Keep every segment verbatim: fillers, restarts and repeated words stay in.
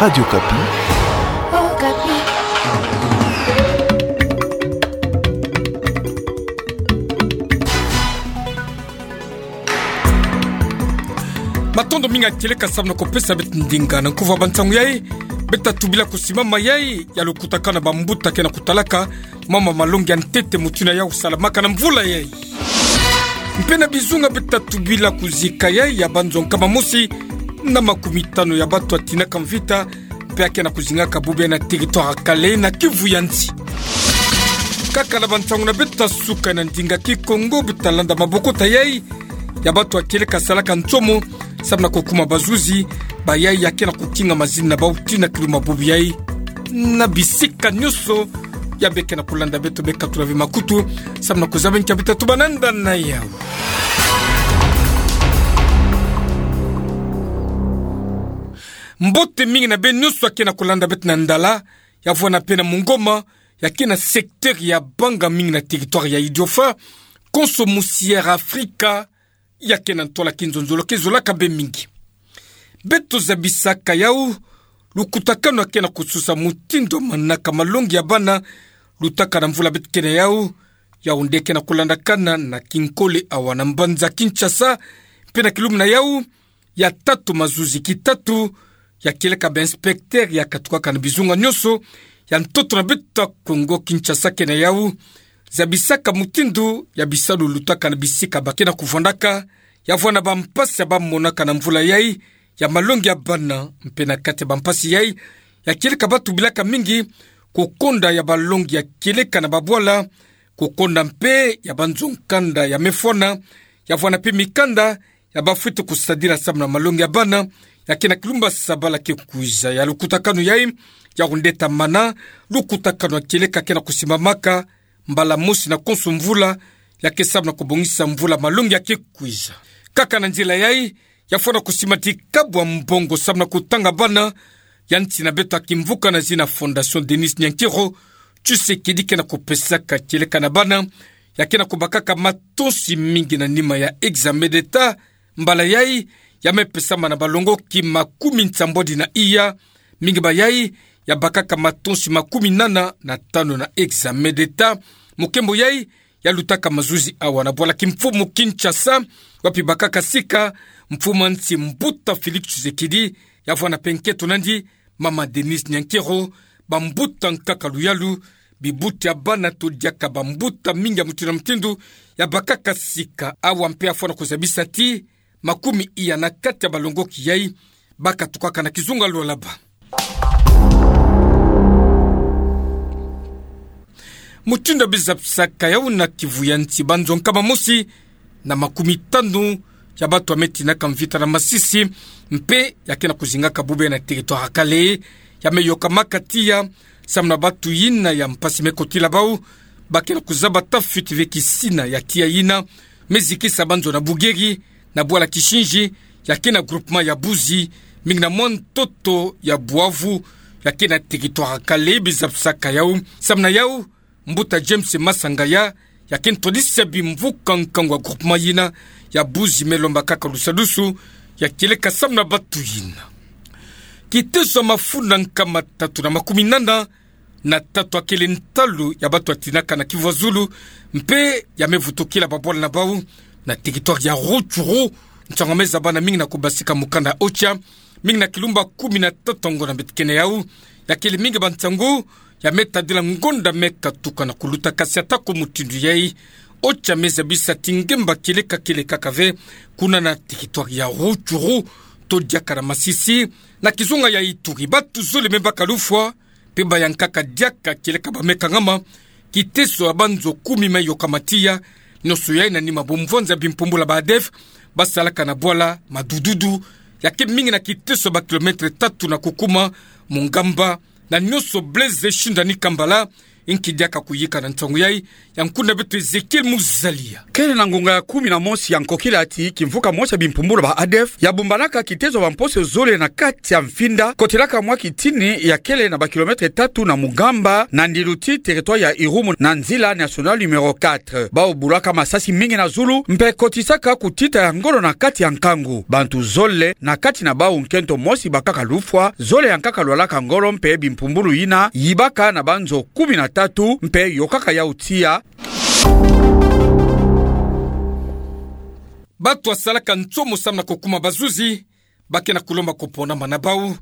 Radio Okapi. Okapi. Matondo mingi ya kieleka samu na kupesa beto ndinga na nkuvu ya bansangu yai. Beto tubila kusimama yai ya lukutakanu na bambuta ke na kutalaka mambu malongi ya ntete mutindu yai kusalamaka na mvula yai. Mpe na bizunga beto tubila kuzika yai ya banzo nkama mosi na makumi tanu ya batu atinaka mvita, mpe ake na kuzingaka bubu yai na territoire ya Kalehe na Kivu ya nsi. Kaka na bansangu na beto suka na ndinga Kikongo beto landa mabokota yai ya batu ya kieleka salaka nsomo samu na kukuma bazuzi ba yai ya ke na kukinga mazina na bau tii na kilumbu bubu yai. Na bisika nyonso ya beke na kulanda beto beka tula ve makutu samu na kuzaba nki ya beto tubana nda na yau. Mbote mingi na beno nyonso ya ke na kulanda beto na ndala, ya vwanda mpe na mongoma, ya ke na secteur ya banga mingi na territoire ya Idiofa, konso musi Air Afrika, ya ke na ntola kinzonzolo ke zolaka bê mingi. Beto zabisaka yau, lukutakanu ya ke na kususa mutindu manaka malongi ya bana, lutaka na mvula beto ke na yau, yau nde ke na kulandakana na kinkole awa na mbanza Kinshasa, mpe na kilumbu na yau, ya tatu mazuzi kitatu, ya kieleka ba inspecteur ya katukaka na bizunga nyonso ya ntoto na beto ya Kongo Kinshasa ke na yau, zabisaka mutindu ya bisalu lutaka na bisika ba ke na kuvwandaka, ya vwanda bampasi ya bamonaka na mvula yai, ya malongi ya bana, mpe na kati ya bampasi yai, ya kieleka batu bilaka mingi, kukonda ya balongi ya kieleka na babwala, kukonda mpe ya banzo nkanda ya mefwana, ya vwanda mpe mikanda, ya bafwete kusadila samu na malongi ya bana, ya ke na kilumbu sabala ke kwiza. Ya lukutakanu yai, yau nde ta mana, lukutakanu ya kieleka ke na kusimbamaka, mbala mosi na konso mvula, ya ke samu na kubongisa mvula malongi ya ke kwiza. Kaka na nzila yai, ya fwana kusimati kabwa mbongo samu na kutanga bana, ya nsi na beto ya kimvuka na zina Fondation Denise Nyankero, Tshisekedi ke na kupesaka kieleka na bana, ya ke na kubakaka matosi mingi na nima ya examen d'État, mbala yai, ya me pesama na balongoki makumi nsambwadi na iya, mingi ba yai, ya bakaka matosi makumi nana na tanu na examen d'État, mokembo yai, ya lutaka mazuzi awa na bwala kimfumu Kinshasa, wapi bakaka sika, mfumu ya nsi mbuta Félix Tshisekedi, ya vwanda mpe nkento nandi, mama Denise Nyankero, bambuta nkaka luyalu, bibuti ya bana to diaka bambuta mingi ya mutindu na mutindu, ya bakaka sika awa mpe ya fwana kuzabisa ti, makumi iya na kati ya balongoki yai, ba katukaka na kizunga lwalaba. Mutindu ya bizabisaka yau na Kivu ya nsi banzo nkama mosi, na makumi tanu, ya batu ya me tinaka mvita na Masisi, mpe ya ke na kuzingaka bubu yai na territoire ya Kalehe, ya me yokamaka tiya, samu na batu yina ya mpasi me kotila bau, ba ke na kuzaba tafwiti ve kisina ya tiya yina, me zikisa banzo na Bugeri, na bwala Kishinji, ya ke na groupement ya Buzi, mingi na mwa ntoto ya Buavu, ya ke na territoire ya Kalehe bizabisaka yau, samu na yau, mbuta James Masangaya, ya ke ntwadisi ya bimvuka nkangu ya groupement yina, ya Buzi me lomba kaka lusadusu, ya kieleka samu na batu yina. Kiteso ya mafunda nkama tatu na makumi nana, na tatu akele ntalu ya batu ya tinaka na Kivu ya Zulu, mpe ya me vutukila babwala na bau, na territoire ya Rutshuru, nsangu ya me zaba na mingi na kubasika mukanda OCHA, mingi na kilumbu kumi na tatu ya ngonda beto ke na yau, ya kele mingi bansangu, ya me tadila ngonda me katuka na kuluta kasi atako mutindu yai, OCHA me zabisa ti ngemba kieleka kieleka kaka ve, kuna na territoire ya Rutshuru, to diaka na Masisi, na kizunga ya Ituri, batu zole me baka lufwa, mpe bayankaka diaka kieleka ba me kangama, kiteso ya banzo kumi me yokama tiya, nyonso yai na nima bomvwanza bimpumbula ba ADF, ba salaka na bwala Madududu, ya ke mingi na kiteso ya ba kilomètre tatu na kukuma, Mongamba, na nyonso Blaise Shindani Kambala, Inki diaka kuyika na ntangu yai, ya nkuna beto Ezekiel Muzalia. Kele na ngonga ya kumi na mosi ya nkokila ti kimvuka mosi ya bimpumbulu ba ADF yabumbanaka kitezo bamposo zole na kati ya Mfinda, kotelaka mwa kitini ya kele na ba kilomètre tatu na Mugamba, na ndilu ti territoire ya Irumu na nzila nationale numéro quatre. Bau bulaka masasi mingi na zulu, mpe kotisaka kutita ya ngolo na kati ya nkangu. Bantu zole, na kati na bau nkento mosi bakaka lufwa, zole ya nkaka lwalaka ngolo mpe bimpumbulu yina yibaka na banzo kumi na tatu, mpe yokaka yau tiya. Bato basalaka ntomo samu na kukuma bazuzi, bake na kulomba kuponama na bau,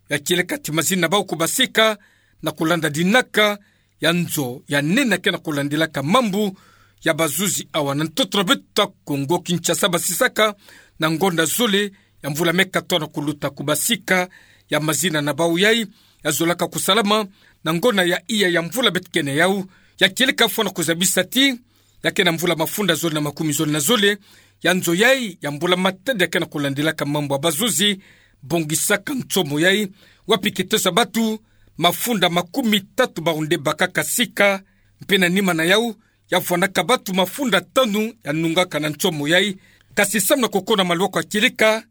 ya kieleka ti mazina na bau kubasika, na kulanda dinaka ya nzo ya nene ake na kulandilaka mambu ya bazuzi awa na ntoto na beto ya Kongo Kinshasa basisaka na ngonda zole ya mvula me katono kuluta kubasika, ya mazina na bau yai yazolaka kusalama na ngonda ya iya ya mvula beto kena yau, ya kieleka fwana kuzabisa ti, ya ke na mvula mafunda zole na makumi zole na zole, ya nzo yai ya mbula matadi ake na kulandilaka mambu ya bazuzi bongisaka ntomo yai, wapi kitosa bato mafunda makumi tatu bau nde bakaka sika, mpe na nima na yau, ya vwanaka bato mafunda tanu ya nungaka na ntomo yai. Kasi samu na kukona maluaku ya kieleka,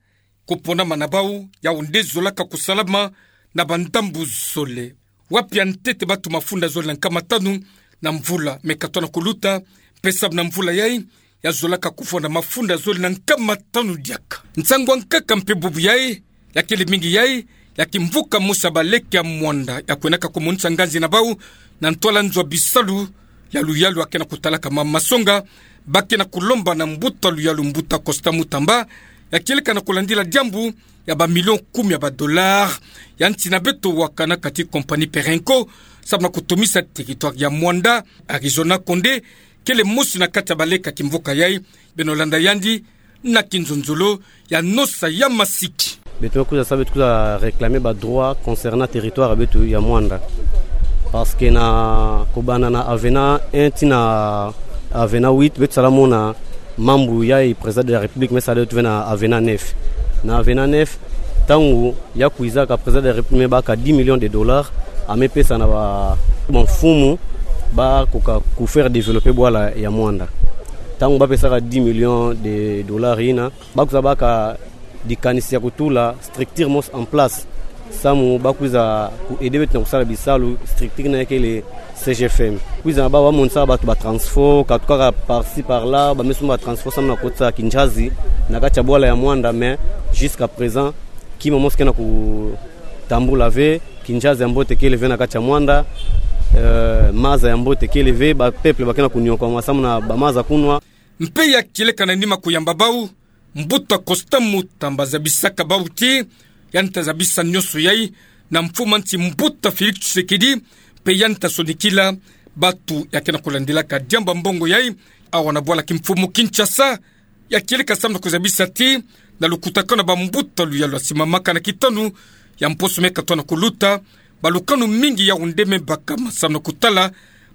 kuponama na bau yau nde zolaka kusalama na bandambu zole. Wapi ya ntete bato mafunda zole na nkama tanu na mvula me katono kuluta, mpe samu na mvula yai, yazolaka kuvwanda mafunda zole na nkama tanu diaka. Nsangu ya nkaka mpe bubu yai, ya kele mingi yai, ya kimvuka mosi ya baleke ya Muanda, ya kwenaka kumonisa nganzi na bau na ntwala nzo ya bisalu ya luyalu ake na kutalaka mambu masonga, bake na kulomba na mbuta luyalu mbuta Costa Mutamba, ya kieleka na kulandila diambu ya ba million kumi ya ba dollars, ya nsi na beto wakanaka ti compagnie Perenco, samu na kutomisa territoire ya Muanda, Arizona Konde, kele mosi na kati ya baleke ya kimvuka yai, beno landa yandi na kinzonzolo ya Nosa ya Masiki. Beto me kwiza sa, beto kwiza réclamer ba droits concernant territoire ya beto ya Muanda. Parce que na kubanda na avenant un tii na avenant huit, beto sala mona mambu yai président de la République me sala beto ve na avenant neuf. Na avenant neuf, ntangu ya kwizaka président de la République me baka dix millions de dollars, ame pesa na ba, bamfumu, bakoka ku faire développer bwala ya Muanda. Ntangu bapesaka dix millions de dollars yina, bakwiza baka dikanisi ya kutula structure mosi en place, samu bakwiza ku aider beto na kusala bisalu, structure na kele C G F M. Kwiza na bau bamonisaka bato ba transport, katukaka par-ci par-là, ba me sumba transport samu na kukotisa kinjazi na kati ya bwala ya Muanda, mais jusqu'à présent, kima mosi ke na kutambula ve, kinjazi ya mbote kele ve na kati ya Muanda, euh, maza ya mbote kele ve, ba peuple bake na kuniokwama samu na ba maza kunwa. Mpe ya kieleka na nima kuyamba bau, mbuta Costa Mutamba zabisaka bau ti, yandi ta zabisa nionso yai na mfumu ya nsi mbuta Félix Tshisekedi, mpe yandi ta sonikila bato ya ke na kulandilaka diambu ya mbongo yai awa na bwala kimfumu Kinshasa. Ya kieleka samu na kuzabisa ti, na lukutakanu ya bambuta luyalu ya simamaka na kitanu ya mposo me katono kuluta, balukanu mingi yau nde me bakama samu na kutala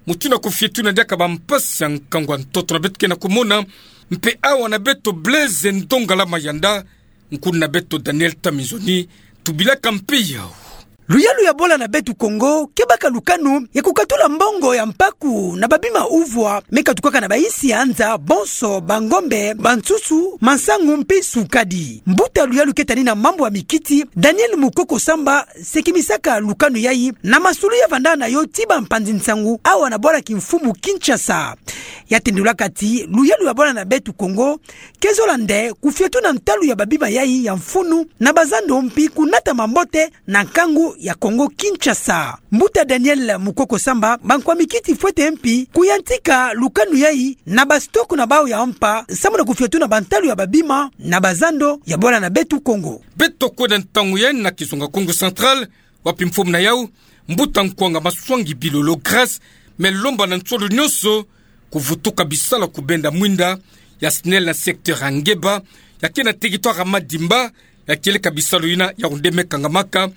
mutindu ya kufietuna diaka bampasi ya nkangu ya ntoto na beto ke na kumona. Mpe awa na beto Blaise Ndongala Mayanda, nkuna beto Daniel Tamizoni, tubilaka mpe yau. Luyalu ya bwala na beto Kongo ke baka lukanu ya kukatula mbongo ya mpaku na babima uvwa me katukaka na bayinsi ya nza, bonso bangombe, bansusu, masangu mpe sukadi. Mbuta luyalu ke tani na mambu ya mikiti, Daniel Mukoko Samba, sekimisaka lukanu yai na masolo ya vandana yo ti bampanzi nsangu awa na bwala kimfumu Kinshasa. Ya tendulaka ti luyalu ya bwala na beto Kongo ke zola nde kufietuna ntalu ya babima yai ya mfunu na bazando mpi kunata mambote na nkangu ya Kongo Kinshasa. Mbuta Daniel Mukoko Samba, bankwa mikiti fwete mpi kuyantika lukanu yai na ba stock na bau ya mpa samu na kufietuna bantalu ya babima na bazando ya bwala na beto Kongo. Beto kwenda ntangu yai na kizunga Kongo Central, wapi mfumu na yau, mbuta Nkwanga Maswangi Bilolo Grace, me lomba na nsolo nionso kuvutuka bisalu ya kubenda mwinda ya SNEL na secteur ya Ngeba, ya ke na territoire ya Madimba, ya kieleka bisalu yina yau nde me kangamaka,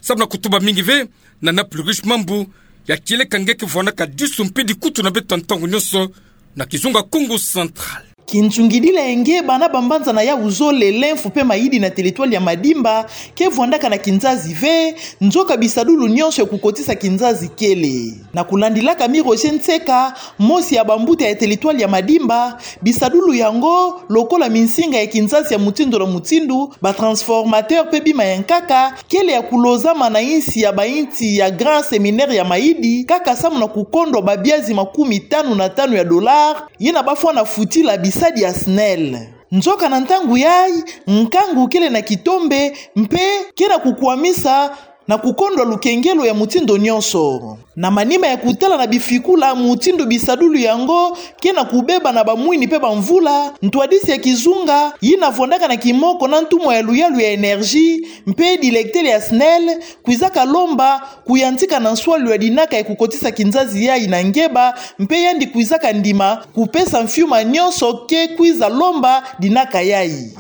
samu na kutuba mingi ve na na plus riche mambu, ya kieleka nge ke vwanaka disu mpe dikutu na beto ntangu nionso na kizunga Kongo Central. Kinsungidila ya ngeba na bambanza na yawu zole, lemfu pe mayidi na teritwali ya Madimba ke vwandaka na kinzazi ve, nzoka bisadulu nionso ya kukotisa kinzazi kele. Na kulandilaka Mi Roger Ntseka, mosi ya bambuta ya teritwali ya Madimba, bisadulu yango, lokola minsinga ya kinzazi ya mutindu na mutindu, ba transformateur pe bima ya nkaka, kele ya kulozama na insi ya bainsi ya Grand Séminaire ya Mayidi, kaka samu na kukondwa babiazi makumi tanu na tanu ya dollars, yina bafwana futila bisadi ya SNEL. Nzoka na ntangu yayi, nkangu kele na kitombe, mpe ke na kukwamisa na kukondwa lukengelo ya mutindu nionso. Na manima ya kutala na bifikula mutindu bisadulu yango ke na kubeba na bamwini pe bamvula, ntwadisi ya kizunga, yina vwandaka na kimoko na ntumwa ya luyalu ya énergie, mpe directeur ya SNEL, kwizaka lomba kuyantika na nswalu ya dinaka ya kukotisa kinzazi yayi na ngeba, mpe yandi kwizaka ndima kupesa mfiuma nionso ke kwiza lomba dinaka yayi.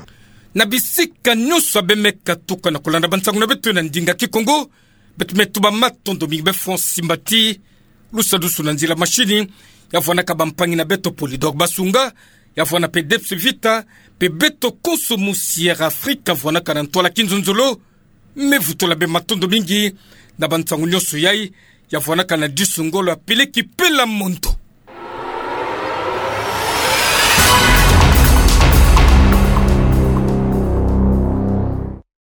Na bisika nionso ya bemeka tuka na kulanda bansangu na beto na ndinga Kikongo, beto me tuba matondo mingi be Francis Mbati, lusadusu na nzila mashini, ya vwanaka bampangi na beto Polydor Basunga, ya vwana pe Debs Vita, pe beto konso mu Sierra Africa vwanaka na ntwala kinzonzolo, me vutula be matondo mingi na bansangu nionso yayi, ya vwanaka na disu ngolo ya Peleki Pela Mondo.